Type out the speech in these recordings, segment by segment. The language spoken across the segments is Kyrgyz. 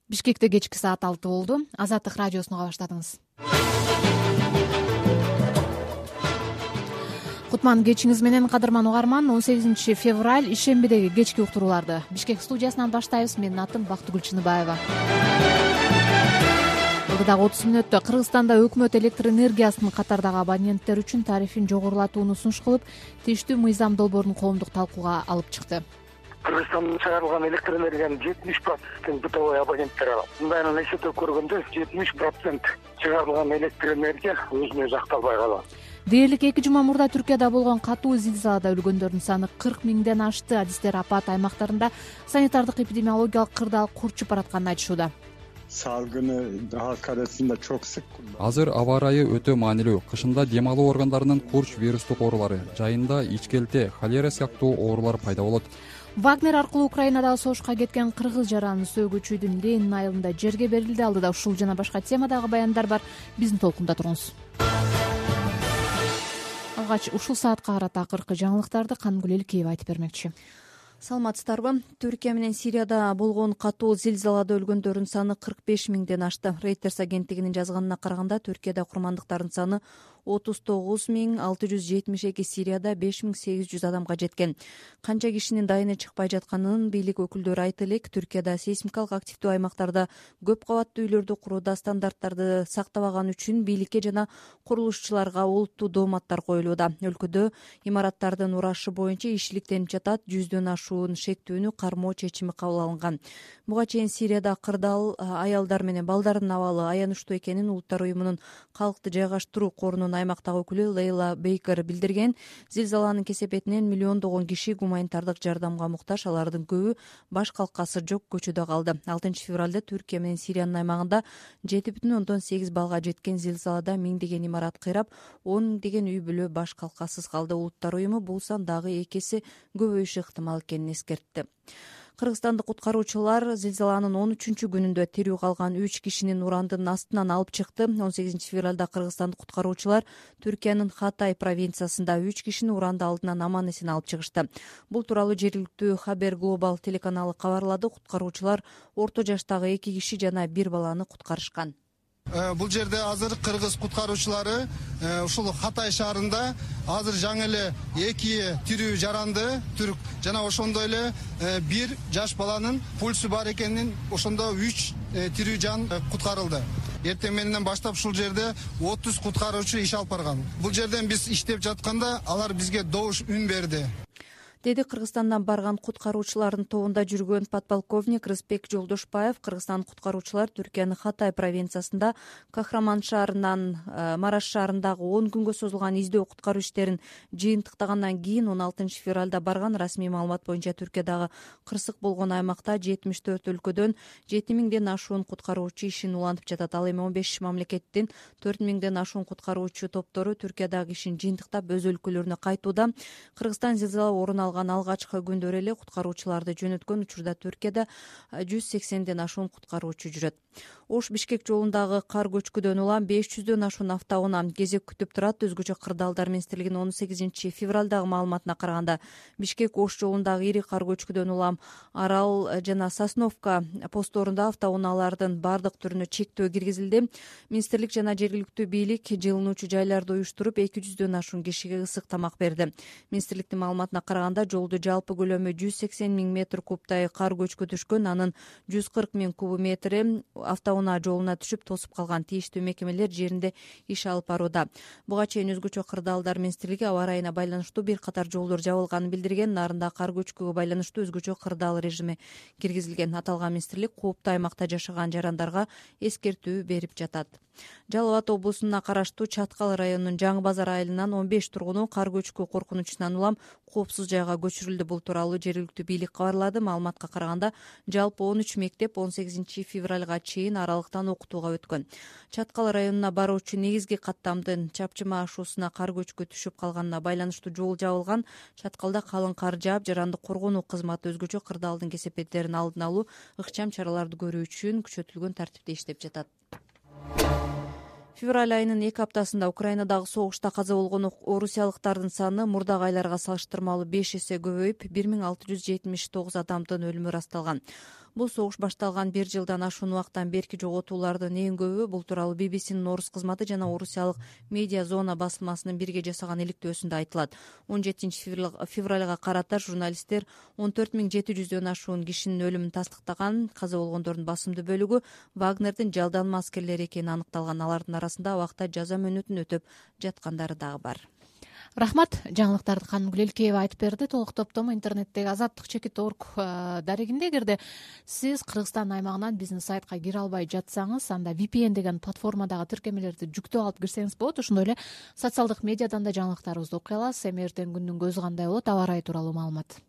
Бишкекте кечки саат 6 болду. Азаттык радиосуну баштадыңыз. Кутман кечиңиз менен, кадырман угарман. 18 февраль ишембидеги кечки уктурууларды Бишкек студиясынан баштайбыз. Менин атым Бактыгүл Чыныбаева. Дагы 30 мүнөттө Кыргызстанда өкмөт электр энергиясынын катардагы абоненттер үчүн тарифин жогорулатууну сунуш кылып, тийиштүү мыйзам долбоорун коомдук талкууга алып чыкты. Кыргызстанда чыгарылган электр энергиянын 70% бытовой абоненттер алат. Мындайынан эсептеп көргөндө 70% чыгарылган электр энергия өзүнө өзү акталбай калат. Дээрлик 2 жума мурда Түркияда болгон катуу зилзалада өлгөндөрдүн саны 40 миңден ашты. Адистер апат аймактарында санитардык эпидемиологиялык кырдаал курчуп баратканын айтышууда. Салгыны халк арасында чок sık. Азыр аба ырайы өтө маанилүү. Кышында дем алуу органдарынын курч вирустук оорулары, жайында ичкелте, холера сыяктуу оорулар пайда болот. Вагнер аркылуу Украинадагы согушка кеткен кыргыз жаранын сөөгүчүдүн Ленин айылында жерге берилди. Алдыда ушул жана башка темадагы баяндар бар. Биздин толкунда туруңуз. Алгач ушул саатка карата акыркы жаңылыктарды Кангүл Элкеева айтып бермекчи. Саламатсыздарбы? Түркия менен Сирияда болгон катуу зилзалада өлгөндөрдүн саны 45 миңден ашты. Reuters агенттигинин жазганына караганда, Түркияда курмандыктардын саны 39.672, Сирияда 5800 адамга жеткен. Канча кишинин дайыны чыкпай жатканын бийлик өкүлдөрү айтып элек. Түркияда сейсмикалык активдүү аймактарда көп кабаттуу үйлөрдү курууда стандарттарды сактабаган үчүн бийликке жана курулушчуларга олуттуу дооматтар коюлууда. Өлкөдө имараттардын урашы боюнча ишиликтенип жатат. 100дөн ашуун шектүүнү кармоо чечими кабыл алынган. Буга чейин Сирияда кырдаал аялдар менен балдардын абалы аянычтуу экенин Улуттар уюмунун калкты жайгаштыруу корунун аймактагы өкүлү Лейла Бейкер билдирген. Зилзаланын кесепетинен миллиондогон киши гуманитардык жардамга муктаж, алардын көбү баш калкасы жок көчөдө калды. 6 февралда Түркия менен Сириянын аймагында 7,8 балга жеткен зилзалада миңдеген имарат кыйрап, 10 миңдеген үй бүлө баш калкасыз калды. Улуттар уюму бул сан дагы 2 эсе көбөйүшү ыктымал экенин эскертти. Кыргызстандык куткаруучулар зилзаланын 13-күнүндө тирүү калган 3 кишинин урандын астынан алып чыкты. 18 февралда кыргызстандык куткаруучулар Түркиянын Хатай провинциясында 3 кишини уранды алдынан аман-эсен алып чыгышты. Бул тууралуу жергиликтүү Хабер Глобал телеканалы кабарлады. Куткаруучулар орто жаштагы 2 киши жана 1 баланы куткарышкан. Бул жерде азыр кыргыз куткаруучулары ушул Хатай шаарында азыр жаңы эле 2 тирүү жаранды түрк жана ошондой эле 1 жаш баланын пульсу бар экенин, ошондо 3 тирүү жан куткарылды. Эртең мененен баштап ушул жерде 30 куткаруучу иш алып барган. Бул жерден биз иштеп жатканда алар бизге добуш үн берди, деди Кыргызстандан барган куткаруучулардын тобунда жүргөн подполковник Рыспек Жолдошбаев. Кыргызстан куткаруучулар Түркиянын Хатай провинциясында Кахраман шаарынан Мараш шаарындагы 10 күнгө созулган издөө куткаруу иштерин жыйынтыктагандан кийин 16 февралда барган. Расмий маалымат боюнча Түркиядагы кырсык болгон аймакта 74 өлкөдөн 7000ден ашуун куткаруучу ишин улантып жатат. Ал эми 15 мамлекеттин 4000ден ашуун куткаруучу топтору Түркиядагы ишин жыйынтыктап өз өлкөлөрүнө кайтууда. Кыргызстан зилзала орун алган алгачкы күндөрү эле куткаруучуларды жөнөткөн. Учурда Түркияда 180ден ашуун куткаруучу жүрөт. Ош Бишкек жолундагы кар көчкүдөн улам 500дөн ашуун автоунаа кезек күтүп турат. Өзгөчө кырдаалдар министрлигинин 18 февралдагы маалыматына караганда, Бишкек Ош жолундагы ири кар көчкүдөн улам Арал жана Сосновка постторунда автоунаалардын бардык түрүнө чектөө киргизилди. Министрлик жана жергиликтүү бийлик жылынуучу жайларды уюштуруп 200дөн ашуун кишиге ысык тамак берди. Министрликтин маалыматына караганда, жолду жалпы көлөмү 180 миң метр кубтай кар көчкү түшкөн. Анын 140 миң куб метри автоунаа жолуна түшүп тосуп калган. Тийиштүү мекемелер жеринде иш алып барууда. Буга чейин өзгөчө кырдаалдар министрлиги аба ырайына байланыштуу бир катар жолдор жабылганын билдирген. Нарында кар көчкүгө байланыштуу өзгөчө кырдаал режими киргизилген. Аталган министрлик кооптуу аймакта жашаган жарандарга эскертүү берип жатат. Жалал Абад облусуна караштуу Чаткал районунун Жаңы Базар айылынан 15 тургуну кар көчкү коркунучунан улам коопсуз жайга көчүрүлдү. Бул тууралуу жергиликтүү бийлик кабарлады. Маалыматка караганда, жалпы 13 мектеп 18 февралга чейин аралыктан окутууга өткөн. Чаткал районуна баруучу негизги каттамдын чапчыма ашуусуна кар көчкү түшүп калганына байланыштуу жол жабылган. Чаткалда калың кар жаап, жарандык коргонуу кызматы өзгөчө кырдаалдын кесепеттерин алдын алуу, ыкчам чараларды көрүү үчүн күчөтүлгөн тартипте иштеп жатат. Февраль айынын 2 аптасында Украинадагы согушта каза болгон орусиялыктардын саны мурдагы айларга салыштырмалуу 5 эсе көбөйүп, 1679 адамдын өлүмү ырасталган. Бул согуш башталган 1 жылдан ашуун убакыттан берки жоготуулардын эң көбү. Бул тууралуу BBC'нин орус кызматы жана орусиялык Медиа Зона басылмасынын бирге жасаган иликтөөсүндө айтылат. 17 февралга карата журналисттер 14.700дөн ашуун кишинин өлүмүн тастыктаган. Каза болгондордун басымдуу бөлүгү Вагнердин жалданма аскерлери экени аныкталган. Алардын арасында абакта жаза мөөнөтүн өтөп жаткандары дагы бар. Рахмат. Жаңылыктарды Канымгүл Элкеева айтып берди. Толук топтому интернеттеги azattik.org дарегинде. Эгерде сиз Кыргызстан аймагынан биздин сайтка кире албай жатсаңыз, анда VPN деген платформадагы тиркемелерди жүктөп алып кирсеңиз болот. Ошондой эле социалдык медиадан да жаңылыктарыбызды окуй аласыз. Эми эртең күндүн көзү кандай болот, аба ырайы тууралуу маалымат.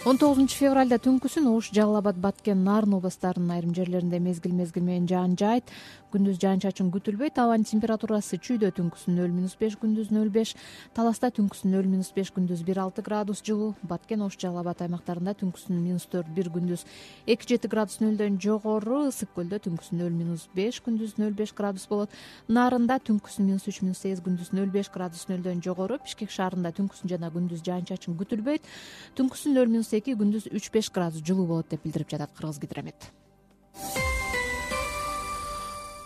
19 февралда түнкүсүн Ош, Жалал Абад, Баткен, Нарын областарынын айрым жерлеринде мезгил менен жаан жаайт. Күндүз жаан-чачын күтүлбөйт. Абанын температурасы Чүйдө түнкүсүн 0-5, күндүз 0-5, Таласта түнкүсүн 0-5, күндүз 1-6 градус жылуу. Баткен, Ош, Жалал Абад аймактарында түнкүсүн -4, күндүз 2-7 градус нөлдөн жогору. Ысык көлдө түнкүсүн 0-5, күндүз 0-5 градус болот. Нарында түнкүсүн -3, -8, күндүз 0-5 градус нөлдөн жогору. Бишкек шаарында түнкүсүн жана күндүз жаан-чачын күтүлбөйт. Түнкүсүн 0-2, күндүз 3-5 градус жылуу болот деп билдирип жатат Кыргызгидромет.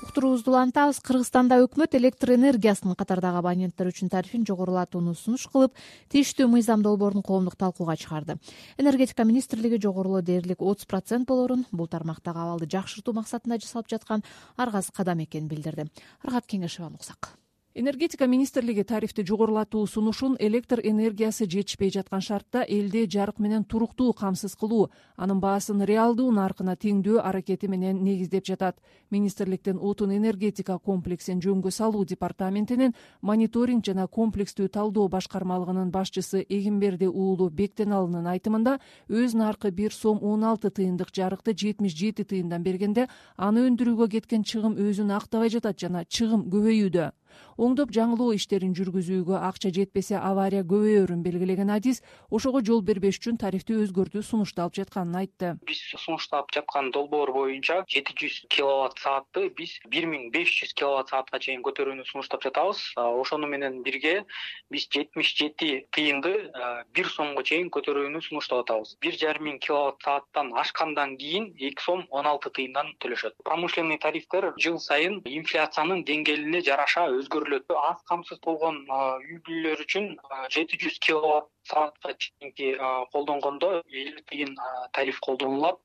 Уктуруубузду улантабыз. Кыргызстанда өкмөт электр энергиясынын катардагы абоненттер үчүн тарифин жогорулатууну сунуш кылып, тийиштүү мыйзам долбоорун коомдук талкууга чыгарды. Энергетика министрлиги жогорулоо дээрлик 30% болорун, бул тармактагы абалды жакшыртуу максатында жасалып жаткан аргасыз кадам экенин билдирди. Рахат Кеңешеваны уксак. Энергетика министрлиги тарифти жогорулатуу сунушун электр энергиясы жетишпей жаткан шартта элде жарык менен туруктуу камсыз кылуу, анын баасын реалдуу наркына теңдөө аракети менен негиздеп жатат. Министрликтин отун энергетика комплексин жөнгө салуу департаментинин мониторинг жана комплекстүү талдоо башкармалыгынын башчысы Эгимберди уулу Бектеналынын айтымында, өз наркы 1 сом 16 тыйындык жарыкты 77 тыйындан бергенде, аны өндүрүүгө кеткен чыгым өзүн актабай жатат жана чыгым көбөйүүдө. Оңдоп жаңылоо иштерин жүргүзүүгө акча жетпесе авария көбөйөрүн белгилеген адис ошого жол бербеш үчүн тарифти өзгөртүү сунушталып жатканын айтты. Биз сунушталып жаткан долбоор боюнча 700 киловатт саатты биз 1500 киловатт саатка чейин көтөрүүнү сунуштап жатабыз. Ошону менен бирге биз 77 тыйынды 1 сомго чейин көтөрүүнү сунуштап атабыз. 1,5 киловатт сааттан ашкандан кийин 2 сом 16 тыйындан төлөшөт. Промышленный тарифтер жыл сайын инфляциянын деңгээлине жараша өзгөрүлөт. Аз камсыз болгон үй бүлөлөр үчүн 700 киловатт саатка чейинки колдонгондо 50 тыйын тариф колдонулат.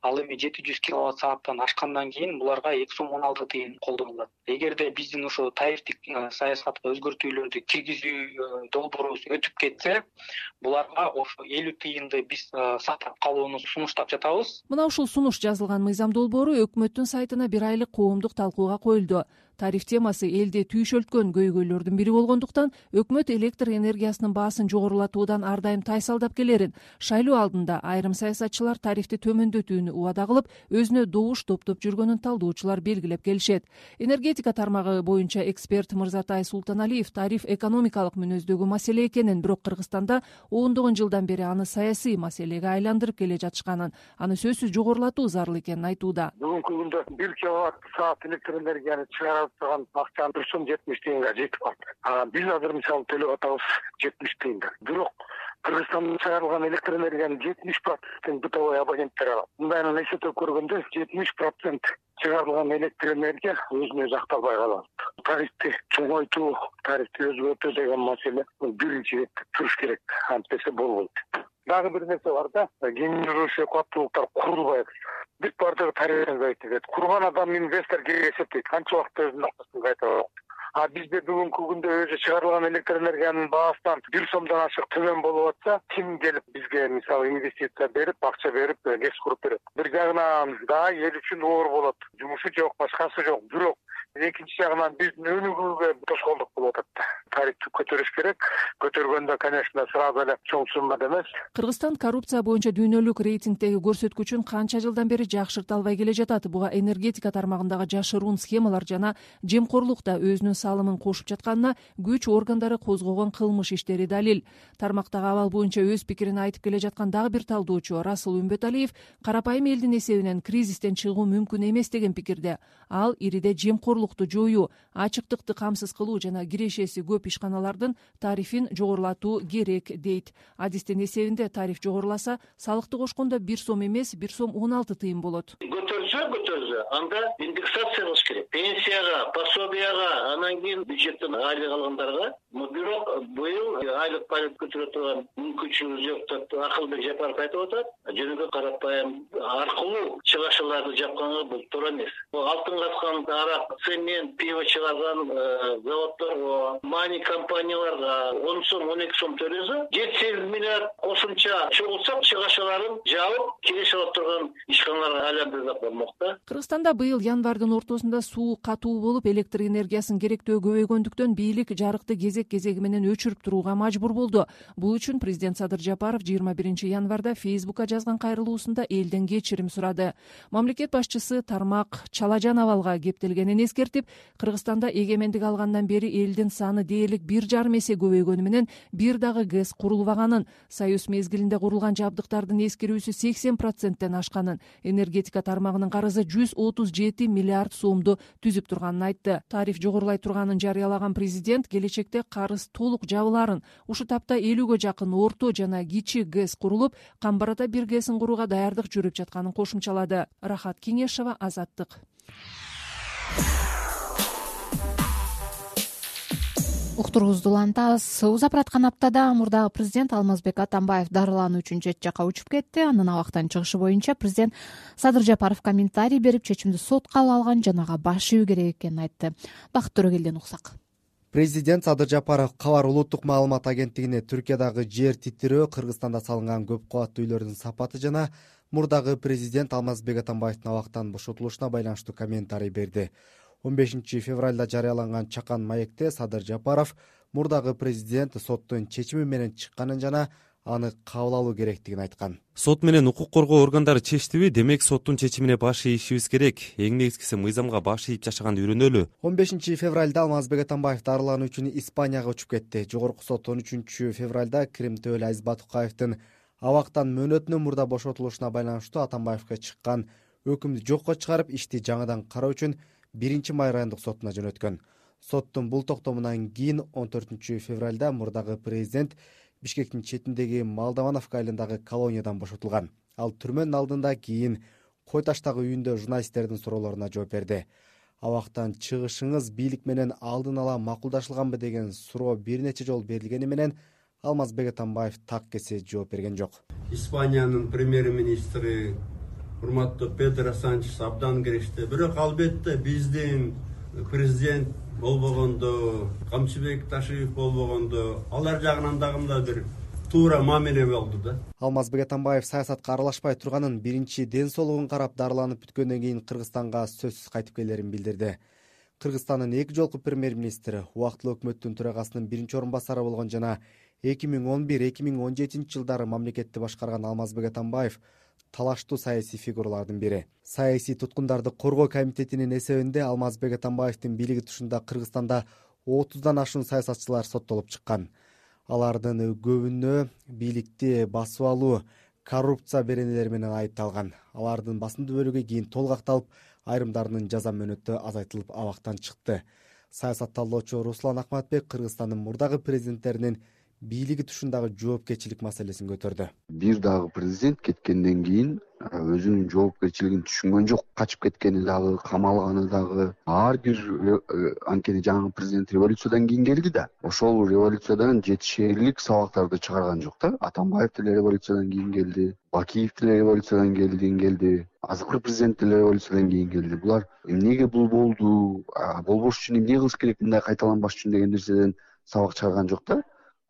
Ал эми 700 киловатт сааттан ашкандан кийин буларга 2 сом 16 тыйын колдонулат. Эгерде биздин ошо тарифтик саясатка өзгөртүүлөрдү киргизүү долбоорубуз өтүп кетсе, буларга ошо 50 тыйынды биз сактап калууну сунуштап жатабыз. Мына ушул сунуш жазылган мыйзам долбоору өкмөттүн сайтына 1 айлык коомдук талкууга коюлду. Тариф темасы элде түйшөлткөн көйгөйлөрдүн бири болгондуктан өкмөт электр энергиясынын баасын жогорулатуудан ар дайым тайсалдап келерин, шайлоо алдында айрым саясатчылар тарифти төмөндөтүүнү убада кылып, өзүнө добуш топтоп жүргөнүн талдоочулар белгилеп келишет. Энергетика тармагы боюнча эксперт Мырзатай Султаналиев тариф экономикалык мүнөздөгү маселе экенин, бирок Кыргызстанда ондогон жылдан бери аны саясий маселеге айландырып келе жатышканын, аны сөзсүз жогорулатуу зарыл экенин айтууда. Бүгүнкү күндө 1 киловатт саат электр энергияны чыгарып турган акча 1 сом 70 тыйынга жетип калды. Биз азыр мисалы төлөп атабыз 70 тыйында. Бирок Кыргызстанда чыгарылган электр энергиянын 70% бытовой абоненттер алат. Мындайынан эсептеп көргөндө 70% чыгарылган электр энергия өзүнө өзү акталбай калат. Тарифти чоңойтуу, тарифти өзгөртүү деген маселе биринчи иретте туруш керек. Антесе болбойт. Дагы бир нерсе бар да, генерирующий кубаттуулуктар курулбайт. Бүт бардыгы тарифтен кайтат. Курган адам инвестор керек эсептейт. Канча убакытта өзүнүн акчасын кайтарат. Бизде бүгүнкү күндө өзү чыгарылган электр энергиянын баасынан 1 сомдон ашык төмөн болуп атса, ким келип бизге мисалы инвестиция берип, акча берип, кес куруп берет. Бир жагынан да эл үчүн оор болот. Жумушу жок, башкасы жок. Бирок экинчи жагынан биздин өнүгүүгө тоскоолдук болуп атат. Тарифти көтөрүш керек. Көтөргөндө, конечно, сразу эле чоң суммада эмес. Кыргызстан коррупция боюнча дүйнөлүк рейтингдеги көрсөткүчүн канча жылдан бери жакшырта албай келе жатат. Буга энергетика тармагындагы жашыруун схемалар жана жемкорлук да өзүнүн салымын кошуп жатканына күч органдары козгогон кылмыш иштери далил. Тармактагы абал боюнча өз пикирин айтып келе жаткан дагы бир талдоочу Расул Үмбөталиев карапайым элдин эсебинен кризистен чыгуу мүмкүн эмес деген пикирде. Ал ириде жемкорлук укуктуулукту жоюу, ачыктыкты камсыз кылуу жана кирешеси көп ишканалардын тарифин жогорулатуу керек дейт. Адистин эсебинде тариф жогоруласа, салыкты кошкондо 1 сом эмес, 1 сом 16 тыйын болот. Көтөрсө, анда индексация кылыш керек. Пенсияга, пособияга, анан кийин бюджеттен айлык алгандарга. Бирок быйыл айлык байлык көтөрө турган мүмкүнчүлүгү жок деп Акылбек Жапаров айтып атат. Жөнөкөй карапайым аркылуу чыгашыларды жапканга бул туура эмес. Алтын каткан арак, цемент, пиво чыгарган заводдорго, мани компанияларга 10 сом, 12 сом төлөсө, 7-8 миллиард кошумча чогулсак, чыгашаларын жабып, келише алып турган ишканаларга айландырып болмок да. Кыргызстанда быйыл январдын ортосунда суу катуу болуп, электр энергиясынын керектөө көбөйгөндүктөн бийлик жарыкты кезеги менен өчүрүп турууга мажбур болду. Бул үчүн президент Садыр Жапаров 21 январда Фейсбукка жазган кайрылуусунда элден кечирим сурады. Мамлекет башчысы тармак чалажан абалга кептелгенин эскертип, Кыргызстанда эгемендик алгандан бери элдин саны дээрлик 1,5 эсе көбөйгөнү менен бир дагы ГЭС курулбаганын, союз мезгилинде курулган жабдыктардын эскирүүсү 80%тен ашканын, энергетика тармагынын карызы 137 миллиард сомду түзүп турганын айтты. Тариф жогорулай турганын жарыялаган президент келечекте карыз толук жабыларын, ушу тапта 50гө жакын орто жана кичи ГЭС курулуп, Камбарата 1 ГЭСин курууга даярдык жүрүп жатканын кошумчалады. Рахат Кеңешова, Азаттык. Уктуруңузду улантабыз. Узап бараткан аптада мурдагы президент Алмазбек Атамбаев дарылануу үчүн чет жакка учуп кетти. Анын абактан чыгышы боюнча президент Садыр Жапаров комментарий берип, чечимди сотко алган жанага баш ийүү керек экенин айтты. Бакыт Төрөгелден уксак. Президент Садыр Жапаров Кабар улуттук маалымат агенттигине Түркиядагы жер титирөө, Кыргызстанда салынган көп кабаттуу үйлөрдүн сапаты жана мурдагы президент Алмазбек Атамбаевдин абактан бошотулушуна байланыштуу комментарий берди. 15 февралда жарыяланган чакан маекте Садыр Жапаров мурдагы президент соттун чечими менен чыкканын жана аны кабыл алуу керектигин айткан. Сот менен укук коргоо органдары чечтиби? Демек соттун чечимине баш ийишибиз керек. Эң негизгиси мыйзамга баш ийип жашаганды үйрөнөлү. 15 февралда Алмазбек Атамбаев дарылануу үчүн Испанияга учуп кетти. Жогорку сот 13 февралда Крим Төөл Азиз Батукаевдин абактан мөөнөтүнөн мурда бошотулушуна байланыштуу Атамбаевге чыккан өкүмдү жокко чыгарып, ишти жаңыдан кароо үчүн 1 май райондук сотуна жөнөткөн. Соттун бул токтомунан кийин 14 февралда мурдагы президент Бишкектин четиндеги Молдовановка айылындагы колониядан бошотулган. Ал түрмөнүн алдында кийин Кой таштагы үйүндө журналисттердин суроолоруна жооп берди. Абактан чыгышыңыз бийлик менен алдын ала макулдашылганбы деген суроо бир нече жолу берилгени менен Алмазбек Атамбаев так кесе жооп берген жок. Испаниянын премьер-министри урматтуу Педро Санчес абдан киришти. Бирок албетте биздин президент болбогондо, Камчыбек Ташиев болбогондо, алар жагынан дагы бир туура мамиле болду да. Алмазбек Атамбаев саясатка аралашпай турганын, биринчи ден соолугун карап дарыланып бүткөндөн кийин Кыргызстанга сөзсүз кайтып келерин билдирди. Кыргызстандын 2 жолку премьер-министри, убактылуу өкмөттүн төрагасынын 1 орун басары болгон жана 2011-2017 жылдары мамлекетти башкарган Алмазбек Атамбаев талаштуу саясий фигуралардын бири. Саясий туткундарды коргоо комитетинин эсебинде Алмазбек Атамбаевдин бийлиги тушунда Кыргызстанда 30дан ашуун саясатчылар соттолуп чыккан. Алардын көбүнө бийликти басып алуу, коррупция беренелери менен айыпталган. Алардын басымдуу бөлүгү кийин толук акталып, айрымдарынын жаза мөөнөтү азайтылып абактан чыкты. Саясат талоочу Руслан Акматбек Кыргызстандын мурдагы президенттеринин бийлиги тушундагы жоопкерчилик маселесин көтөрдү. Бир дагы президент кеткенден кийин өзүнүн жоопкерчилигин түшүнгөн жок, качып кеткени дагы, камалганы дагы. Ар бир анткени жаңы президент революциядан кийин келди да. Ошол революциядан жетишерлик сабактарды чыгарган жок да. Атамбаев деле революциядан кийин келди, Бакиев деле революциядан келди, азыркы президент деле революциядан кийин келди. Булар эмнеге бул болду, болбош үчүн эмне кылыш керек, мындай кайталанбаш үчүн деген нерседен сабак чыгарган жок да.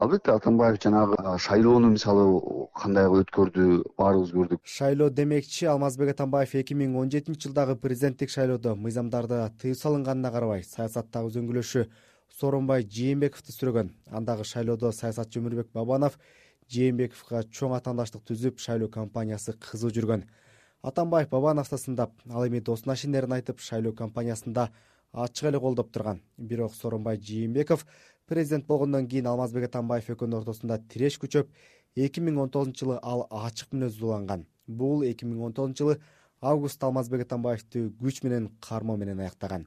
Албетте Атамбаев жанагы шайлоону мисалы кандай өткөрдү, баарыбыз көрдүк. Шайлоо демекчи, Алмазбек Атамбаев 2017 жылдагы президенттик шайлоодо мыйзамдарды тыюу салынганына карабай, саясаттагы үзөңгүлөшү Сооронбай Жээнбековду сүрөгөн. Андагы шайлоодо саясатчы Өмүрбек Бабанов Жээнбековго чоң атаандаштык түзүп, шайлоо кампаниясы кызуу жүргөн. Атамбаев Бабановду сындап, ал эми досуна ишенерин айтып, шайлоо кампаниясында ачык эле колдоп турган. Бирок Сооронбай Жээнбеков президент болгондон кийин Алмазбек Атамбаев экөөнүн ортосунда тиреш күчөп, 2019 жылы ал ачык мүнөздүү уланган. Бул 2019 жылы августта Алмазбек Атамбаевди күч менен кармоо менен аяктаган.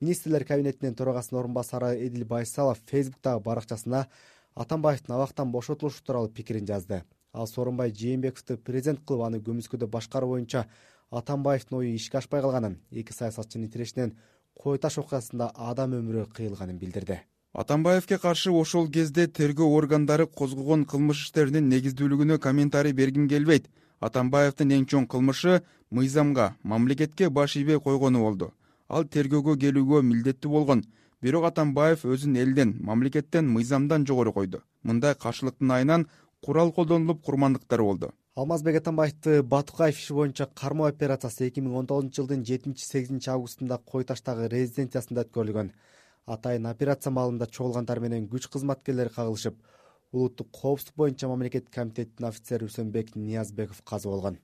Министрлер кабинетинин төрагасынын орун басары Эдил Байсалов Фейсбуктагы баракчасына Атамбаевдин абактан бошотулушу тууралуу пикирин жазды. Ал Сооронбай Жээнбековду президент кылып аны көмүскөдө башкаруу боюнча Атамбаевдин ою ишке ашпай калганын, эки саясатчынын тирешинен Кой таш окуясында адам өмүрү кыйылганын билдирди. Атамбаевке каршы ошол кезде тергөө органдары козгогон кылмыш иштеринин негиздүүлүгүнө комментарий бергим келбейт. Атамбаевдин эң чоң кылмышы мыйзамга, мамлекетке баш ийбей койгону болду. Ал тергөөгө келүүгө милдеттүү болгон. Бирок Атамбаев өзүн элден, мамлекеттен, мыйзамдан жогору койду. Мындай каршылыктын айынан курал колдонулуп курмандыктар болду. Алмазбек Атамбаевди Батукаев иши боюнча кармоо операциясы 2019-жылдын 7-8 августунда Кой таштагы резиденциясында өткөрүлгөн. Атайын операция маалында чогулгандар менен күч кызматкерлери кагылышып, улуттук коопсуздук боюнча мамлекеттик комитеттин офицери Үсөнбек Ниязбеков каза болгон.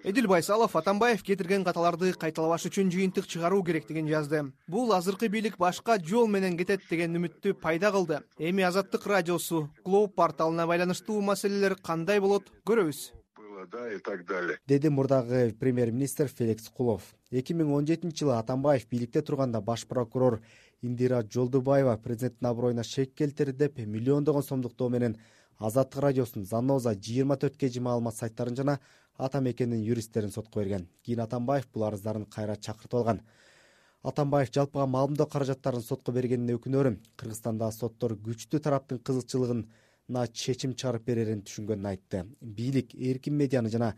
Эдил Байсалов Атамбаев кетирген каталарды кайталабаш үчүн жыйынтык чыгаруу керектигин жазды. Бул азыркы бийлик башка жол менен кетет деген үмүттү пайда кылды. Эми Азаттык радиосу, Глоб порталына байланыштуу маселелер кандай болот көрөбүз. И так далее. Деди мурдагы премьер-министр Феликс Кулов. 2017-жылы Атамбаев бийликте турганда баш прокурор Индира Жолдубаева президенттин аброюна шек келтирди деп миллиондогон сомдук менен Азаттык радиосунун Заноза 24 кж маалымат сайттарын жана ата мекенин юристтерин сотко берген. Кийин Атамбаев бул арыздарын кайра чакыртып алган. Атамбаев жалпыга маалымдоо каражаттарын сотко бергенине өкүнөрүм. Кыргызстанда соттор күчтүү тараптын кызыкчылыгына чечим чыгарып берерин түшүнгөнүн айтты. Бийлик эркин медианы жана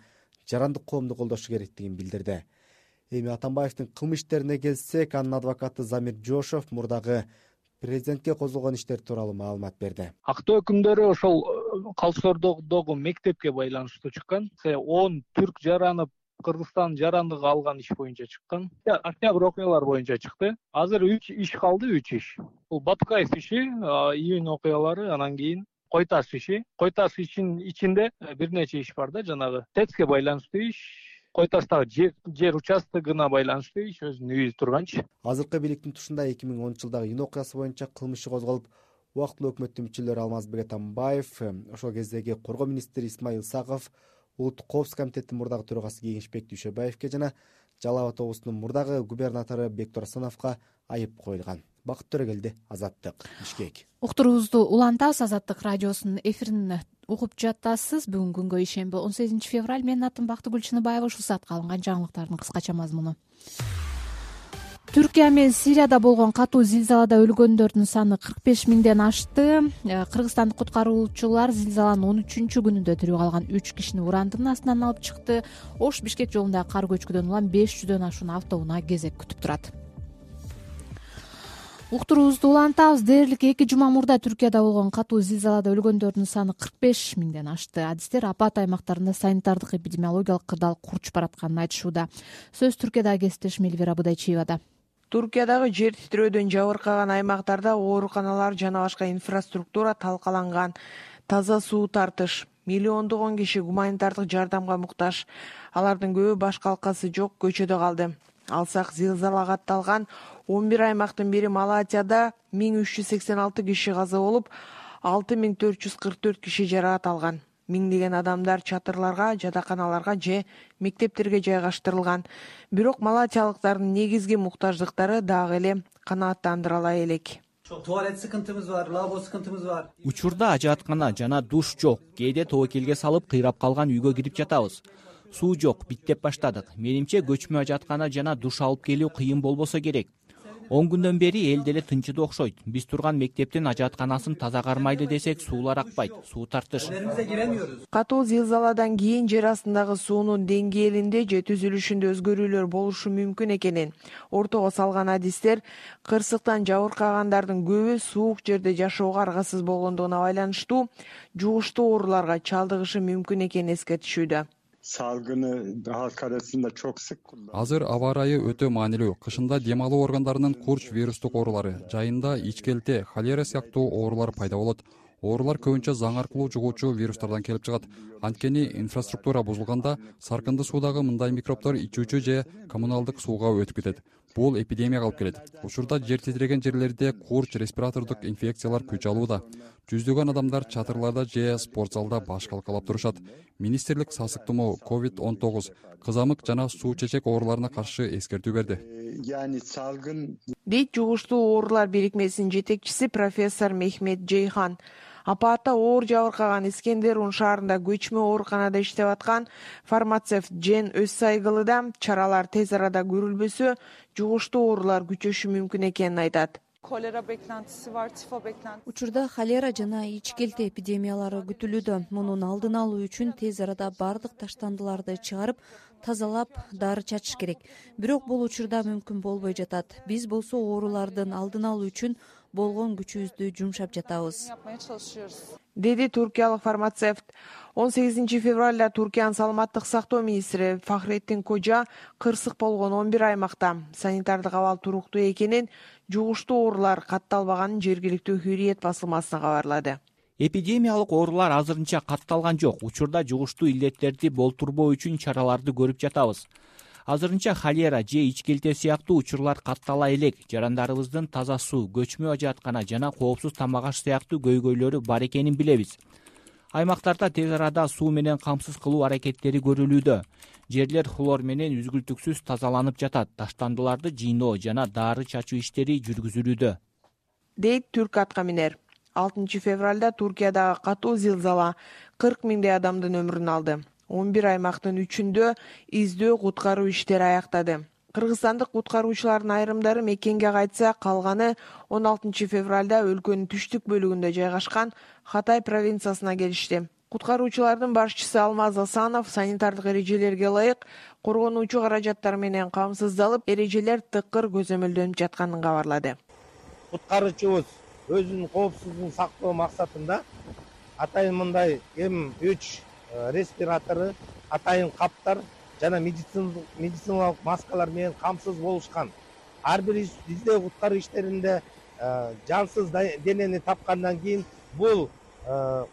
жарандык коомду колдошу керектигин билдирди. Эми Атамбаевдин кылмыш иштерине келсек, анын адвокаты Замир Жошов мурдагы президентке козголгон иштер тууралуу маалымат берди. Актоо өкүмдөрү ошол Калсордогу мектепке байланыштуу чыккан. 10 түрк жаранып Кыргызстан жарандыгы алган иш боюнча чыккан. Октябрь окуялар боюнча чыкты. Азыр 3 иш калды, 3 иш. Бул Батукаев иши, июнь окуялары, анан кийин Кой таш иши. Кой таш ишинин ичинде бир нече иш бар да, жанагы ТЭЦке байланыштуу иш. Кой таштагы жер участогуна байланыштуу иш өзүнүн үйү турганчы. Азыркы бийликтин тушунда 2010-жылдагы июнь окуясы боюнча кылмыш козголуп, убактылуу өкмөттүн мүчөлөрү Алмазбек Атамбаев, ошол кездеги коргоо министри Исмаил Саков, улуттук коопсуздук комитеттин мурдагы төрагасы Кеңешбек Дүйшөбаевке жана Жалал Абад облусунун мурдагы губернатору Бектур Асановго айып коюлган. Бакыт Төрөгелди, Азаттык, Бишкек. Уктуруубузду улантабыз. Азаттык радиосунун эфирин угуп жатасыз. Бүгүн күнгө ишемби 18 февраль. Менин атым Бактыгүл Чыныбаева. Ушул саатка алынган жаңылыктардын кыскача мазмуну. Түркия менен Сирияда болгон катуу зилзалада өлгөндөрдүн саны 45 миңден ашты. Кыргызстандык куткаруучулар зилзаланын 13-күнүндө тирүү калган 3 кишини урандын астынан алып чыкты. Ош Бишкек жолундагы кар көчкүдөн улам 500дөн ашуун автоунаа кезек күтүп турат. Уктуруубузду улантабыз. Дээрлик 2 жума мурда Түркияда болгон катуу зилзалада өлгөндөрдүн саны 45 миңден ашты. Адистер апат аймактарында санитардык эпидемиологиялык кырдаал курчуп баратканын айтышууда. Сөз Түркиядагы кесиптешим Элвира Будайчиевада. Түркиядагы жер титрөөдөн жабыркаган аймактарда ооруканалар жана башка инфраструктура талкаланган. Таза суу тартыш, миллиондогон киши гуманитардык жардамга муктаж. Алардын көбү баш калкасы жок көчөдө калды. Алсак зилзалага атталган 11 аймактын бири Малатияда 1386 киши каза болуп, 6444 киши жаракат алган. Миңдеген адамдар чатырларга, жатаканаларга же мектептерге жайгаштырылган. Бирок малатиялыктардын негизги муктаждыктары дагы эле канааттандыра албай элек. Туалет sıkıntımız var, lavabo sıkıntımız var. Учурда ажааткана жана душ жок. Кээде тобокелге салып кыйрап калган үйгө кирип жатабыз. Суу жок, биттеп баштадык. Менимче көчмө ажааткана жана душ алып келүү кыйын болбосо керек. 10 күндөн бери эл деле тынчыды окшойт. Биз турган мектептин ажаатканасын таза кармайлы десек, суулар акпайт, суу тартыш. Катуу зилзаладан кийин жер астындагы суунун деңгээлинде же түзүлүшүндө өзгөрүүлөр болушу мүмкүн экенин ортого салган адистер кырсыктан жабыркагандардын көбү суук жерде жашоого аргасыз болгондугуна байланыштуу жугуштуу ооруларга чалдыгышы мүмкүн экенин эскертишүүдө. Salgını daha karasında çok sık kullanılıyor. Азыр аба ырайы өтө маанилүү. Кышында дем алуу органдарынын курч вирустук оорулары, жайында ичкелте, холера сыяктуу оорулар пайда болот. Оорулар көбүнчө заң аркылуу жугуучу вирустардан келип чыгат. Анткени инфраструктура бузулганда саркынды суудагы мындай микробдор ичүүчү же коммуналдык сууга өтүп кетет. Бул эпидемияга алып келет. Учурда жер титиреген жерлерде курч респиратордук инфекциялар күч алууда. Жүздөгөн адамдар чатырларда же спорт залда баш калкалап турушат. Министрлик сасык тумоо, COVID-19, кызамык жана суу чечек ооруларына каршы эскертүү берди. Салгын дейт жугуштуу оорулар бирикмесинин жетекчиси профессор Мехмет Жейхан. Апаатта оор жабыркаган Искендерун шаарында көчмө ооруканада иштеп аткан фармацевт Жен Өзсайгылы да чаралар тез арада көрүлбөсө жугуштуу оорулар күчөшү мүмкүн экенин айтат. Kolera beklentisi var, tifo beklentisi. Учурда холера жана ич келте эпидемиялары күтүлүүдө. Мунун алдын алуу үчүн тез арада бардык таштандыларды чыгарып, тазалап, дары чачыш керек. Бирок бул учурда мүмкүн болбой жатат. Биз болсо оорулардын алдын алуу үчүн болгон күчүбүздү жумшап жатабыз, деди туркиялык фармацевт. 18 февралда Туркиянын саламаттык сактоо министри Фахреттин Кожа кырсык болгон 11 аймакта санитардык абал туруктуу экенин, жугуштуу оорулар катталбаганын жергиликтүү Hürriyet басылмасына кабарлады. Эпидемиялык оорулар азырынча катталган жок. Учурда жугуштуу илдеттерди болтурбоо үчүн чараларды көрүп жатабыз. Азырынча холера же ич келте сыяктуу учурлар каттала элек. Жарандарыбыздын таза суу, көчмө ажыаткана жана коопсуз тамак аш сыяктуу көйгөйлөрү бар экенин билебиз. Аймактарда тез арада суу менен камсыз кылуу аракеттери көрүлүүдө. Жерлер хлор менен үзгүлтүксүз тазаланып жатат. Таштандыларды жыйноо жана дары чачуу иштери жүргүзүлүүдө, дейт түрк атка минер. 6 февралда Туркиядагы катуу зилзала 40 миңдей адамдын өмүрүн алды. 11 аймактын 3-үндө издөө куткаруу иштери аяктады. Кыргызстандык куткаруучулардын айрымдары мекенге кайтса, калганы 16 февралда өлкөнүн түштүк бөлүгүндө жайгашкан Хатай провинциясына келишти. Куткаруучулардын башчысы Алмаз Асанов санитардык эрежелерге ылайык коргонуучу каражаттар менен камсыздалып, эрежелер тыкыр көзөмөлдөнүп жатканын кабарлады. Куткаруучубуз өзүнүн коопсуздугун сактоо максатында атайын мындай М3 респиратору, атайын каптар жана медициналык маскалар менен камсыз болушкан. Ар бир издөө куткаруу иштеринде жансыз денени тапкандан кийин бул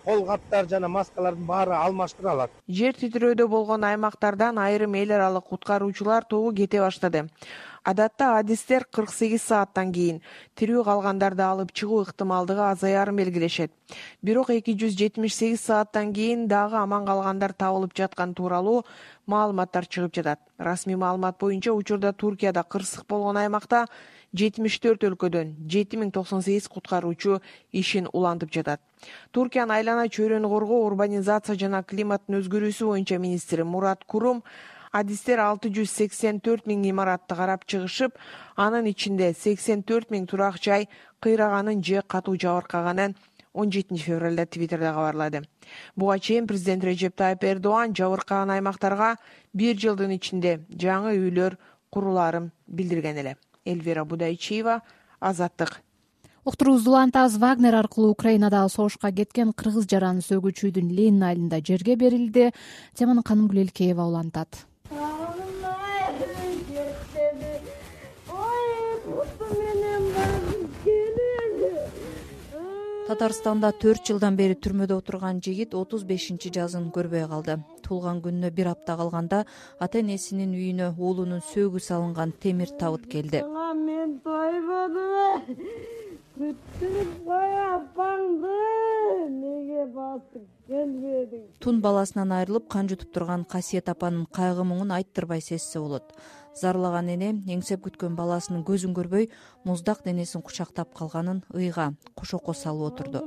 кол каптар жана маскалардын баары алмаштырылат. Жер титирөөдө болгон аймактардан айрым эл аралык куткаруучулар тобу кете баштады. Адатта адистер 48 сааттан кийин тирүү калгандарды алып чыгуу ыктымалдыгы азаярын белгилешет. Бирок 278 сааттан кийин дагы аман калгандар табылып жаткан тууралуу маалыматтар чыгып жатат. Расмий маалымат боюнча учурда Туркияда кырсык болгон аймакта 74 өлкөдөн 7098 куткаруучу ишин улантып жатат. Туркиянын айлана чөйрөнү коргоо, урбанизация жана климаттын өзгөрүүсү боюнча министри Мурат Курум адистер 684 миң имаратты карап чыгышып, анын ичинде 84 миң турак жай кыйраганын же катуу жабыркаганын 17 февралда Твиттерде кабарлады. Буга чейин президент Режеп Тайып Эрдоган жабыркаган аймактарга 1 жылдын ичинде жаңы үйлөр курулаарын билдирген эле. Эльвира Будайчиева, Азаттык. Уктуруубузду улантабыз. Вагнер аркылуу Украинадагы согушка кеткен кыргыз жараны сөгүүчүдүн Ленин айылында жерге берилди. Теманы Канымгүл Элкеева улантат. Татарстанда 4 жылдан бери түрмөдө отурган жигит 35-жазын көрбөй калды. Туулган күнүнө 1 апта калганда ата-энесинин үйүнө уулунун сөөгү салынган темир табыт келди. Мен тойбодум. Күттүрүп кой апаңды. Неге басып келбедиң? Тун баласынан айрылып кан жутуп турган Касиет апанын кайгы муңун айттырбай сезсе болот. Зарлаган эне эңсеп күткөн баласынын көзүн көрбөй, муздак денесин кучактап калганын ыйга кошоко салып отурду.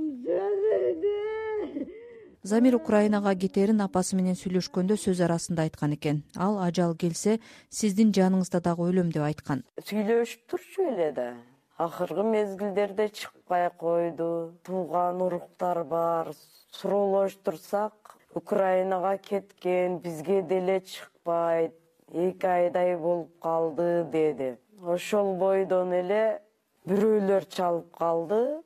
Замир Украинага кетерин апасы менен сүйлөшкөндө сөз арасында айткан экен. Ал ажал келсе, сиздин жаныңызда дагы өлөм деп айткан. Сүйлөшүп турчу эле да. Акыркы мезгилдерде чыкпай койду. Тууган уруктар бар. Суроолоштурсак, Украинага кеткен, бизге деле чыкпайт. 2 айдай болуп калды деди. Ошол бойдон эле бирөөлөр чалып калды.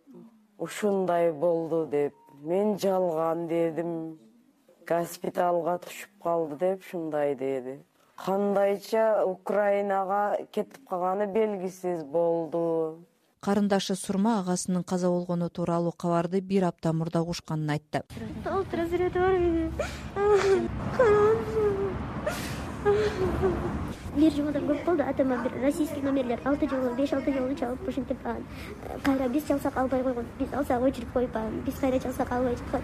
Ушундай болду деп. Мен жалган дедим. Госпиталга түшүп калды деп шундай деди. Кандайча Украинага кетип калганы белгисиз болду. Карындашы Сурма агасынын каза болгону тууралуу кабарды 1 апта мурда угушканын айтты. бир жумадан көп болду. Атама бир российский номерлер 6 жолу 5-6 жолу чалып ушинтип кайра биз чалсак албай койгон. Биз алсак өчүрүп коюп биз кайра чалсак албай жаткан.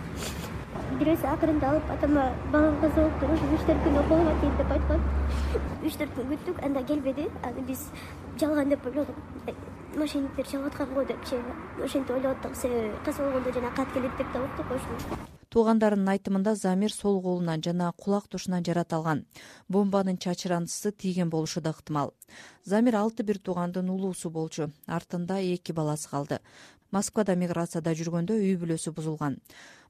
Бирөөсү акырында алып атама балам каза болуп туруш 3-4 күн окууга кет деп айткан. 3-4 күн күттүк, анда келбеди. Аны биз жалган деп ойлодук. Мошенниктер чалып аткан го депчи. Ошентип ойлоп аттык. Себеби каза болгондо жана кат келет деп да уктук ошону. Туугандарынын айтымында Замир сол колунан жана кулак тушунан жаратылган. Бомбанын чачырандысы тийген болушу да ыктымал. Замир 6 бир туугандын улуусу болчу. Артында 2 баласы калды. Москвада миграцияда жүргөндө үй бүлөсү бузулган.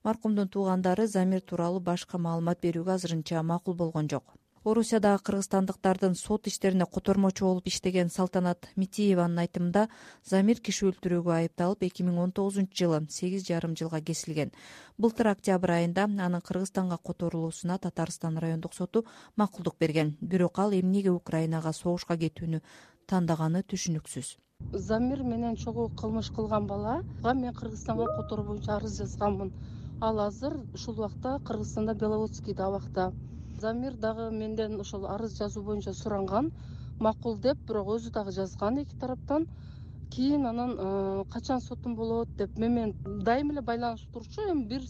Маркумдун туугандары Замир тууралуу башка маалымат берүүгө азырынча макул болгон жок. Орусиядагы кыргызстандыктардын сот иштерине котормочу болуп иштеген Салтанат Митиеванын айтымында Замир киши өлтүрүүгө айыпталып 2019-жылы 8,5 жылга кесилген. Былтыр октябрь айында анын Кыргызстанга которулуусуна Татарстан райондук соту макулдук берген. Бирок ал эмнеге Украинага согушка кетүүнү тандаганы түшүнүксүз. Замир менен чогуу кылмыш кылган балага мен Кыргызстанга которуу боюнча арыз жазганмын. Ал азыр ушул убакта Кыргызстанда Беловодскийде абакта. Замир дагы менден ошол арыз жазуу боюнча суранган, макул деп, бирок өзү дагы жазган эки тараптан. Кийин анан качан сотум болот деп менен дайым эле байланышып турчу. Эми бир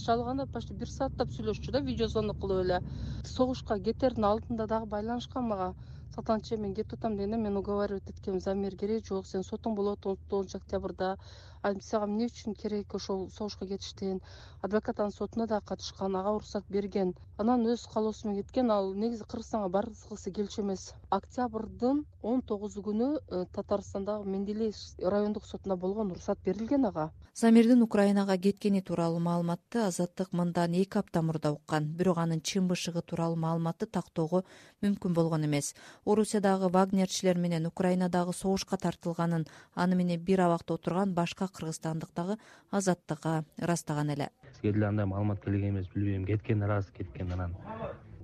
шалганда почти 1 сааттап сүйлөшчү да, видео звонок кылып эле. Согушка кетердин алдында дагы байланышкан мага. Салтанат эже, мен кетип атам дегенде мен уговаривать эткем, Замир керек жок, сен сотуң болот 9 октябрда. Сага эмне үчүн керек ошол согушка кетиштен? Адвокат анын сотуна да катышкан, ага уруксат берген. Анан өз каалоосу менен кеткен. Ал негизи Кыргызстанга баргысы келчү эмес. Октябрдын 19 күнү Татарстандагы Менделеев райондук сотуна болгон уруксат берилген ага. Замирдин Украинага кеткени тууралуу маалыматты Азаттык мындан 2 апта мурда уккан, бирок анын чын бышыгы тууралуу маалыматты тактоого мүмкүн болгон эмес. Орусиядагы вагнерчилер менен Украинадагы согушка тартылганын аны менен бир абакта отурган башка кыргызстандык дагы Азаттыкка ырастаган эле. Бизге деле андай маалымат келген эмес, билбейм, кеткен раз кеткен, анан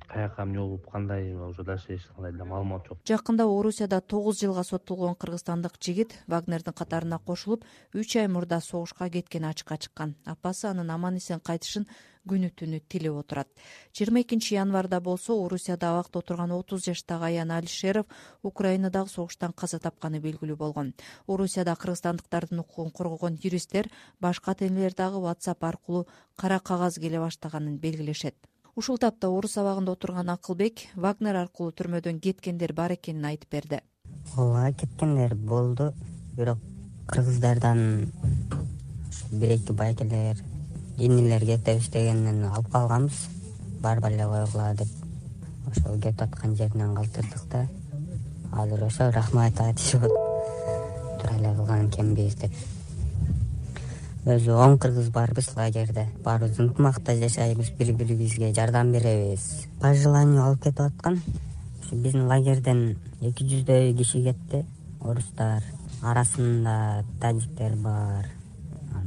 каяка эмне болуп кандай уже дальше эч кандай деле маалымат жок. Жакында Орусияда 9 жылга соттолгон кыргызстандык жигит Вагнердин катарына кошулуп 3 ай мурда согушка кеткени ачыкка чыккан. Апасы анын аман-эсен кайтышын күнү түнү тилеп отурат. 22 январда болсо Орусияда абакта отурган 30 жаштагы Аян Алишеров Украинадагы согуштан каза тапканы белгилүү болгон. Орусияда кыргызстандыктардын укугун коргогон юристтер башка ата-энелер дагы WhatsApp аркылуу кара кагаз келе баштаганын белгилешет. Ушул тапта Орус абагында отурган Акылбек Вагнер аркылуу түрмөдөн кеткендер бар экенин айтып берди. Ооба, кеткендер болду, бирок кыргыздардан 1-2 байкелер, инилер кетип иштегенин алып калганбыз. Барбай эле койгула деп ошол кетип аткан жеринен калтырдык да. Азыр ошо рахмат айтышып тура эле кылган экенбиз деп. Өзү 10 кыргыз барбыз лагерде. Баарыбыз ынтымакта жашайбыз, бири-бирибизге жардам беребиз. По желанию алып кетип аткан. Биздин лагерден 200дөй киши кетти. Орустар, арасында тажиктер бар,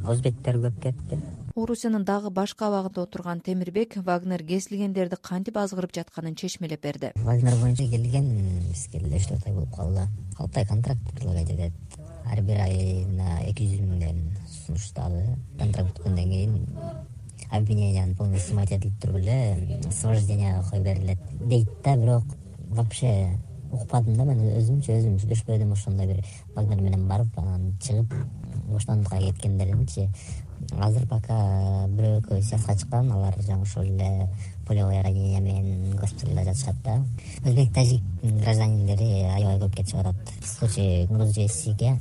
өзбектер көп кетти. Орусиянын дагы башка абагында отурган Темирбек Вагнер кесилгендерди кантип азгырып жатканын чечмелеп берди. Вагнер боюнча келген бизге 4 ай болуп калды. 6 ай контракт предлагать этет. Ар бир айына 200 миңден сунуштады. Контракт бүткөндөн кийин обвиненияны полностью снимать этилип туруп эле освобожденияга коюп берилет дейт да, бирок вообще укпадым да, мен өзүм сүйлөшпөдүм. Ошондой бир Вагнер менен барып анан чыгып боштондукка кеткендеринчи азыр пока бирөө сыясатка чыккан, алар жаңы ошол эле полевое ранение менен госпиталда жатышат да. Өзбек, тажик гражданиндери аябай көп кетип атат. В случае Грузияга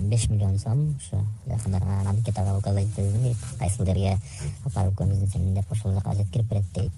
5 миллион сом ошо жакында анкетага указать этилди, кайсыл апарып көмүзүн деп ошол жака жеткирип берет дейт.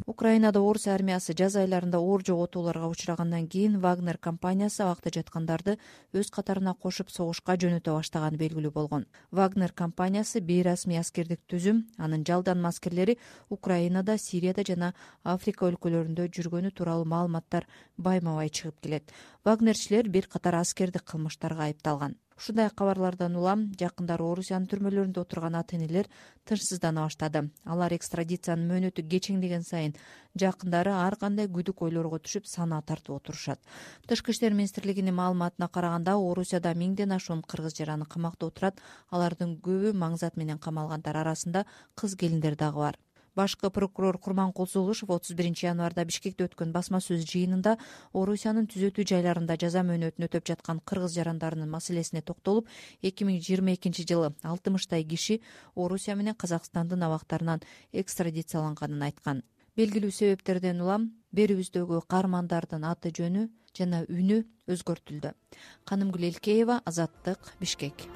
Украинада Орус армиясы жаз айларында оор жоготууларга учрагандан кийин Вагнер компаниясы абакта жаткандарды өз катарына кошуп согушка жөнөтө баштаганы белгилүү болгон. Вагнер компаниясы бейрасмий аскердик түзүм, анын жалданма аскерлери Украинада, Сирияда жана Африка өлкөлөрүндө жүргөнү тууралуу маалыматтар байма-бай чыгып келет. Вагнерчилер бир катар аскердик кылмыштарга айыпталган. Ушундай кабарлардан улам жакындары Орусиянын түрмөлөрүндө отурган ата-энелер тынчсыздана баштады. Алар экстрадициянын мөөнөтү кечеңдеген сайын жакындары ар кандай күдүк ойлорго түшүп санаа тартып отурушат. Тышкы иштер министрлигинин маалыматына караганда Орусияда 1000ден ашуун кыргыз жараны камакта отурат. Алардын көбү маңзат менен камалгандар арасында кыз келиндер дагы бар. Башкы прокурор Курманкул Зулушев 31 январда Бишкекте өткөн басма сөз жыйынында Орусиянын түзөтүү жайларында жаза мөөнөтүн өтөп жаткан кыргыз жарандарынын маселесине токтолуп, 2022-жылы 60 киши Орусия менен Казакстандын абактарынан экстрадицияланганын айткан. Белгилүү себептерден улам берүүбүздөгү каармандардын аты жөнү жана үнү өзгөртүлдү. Канымгүл Элкеева, Азаттык, Бишкек.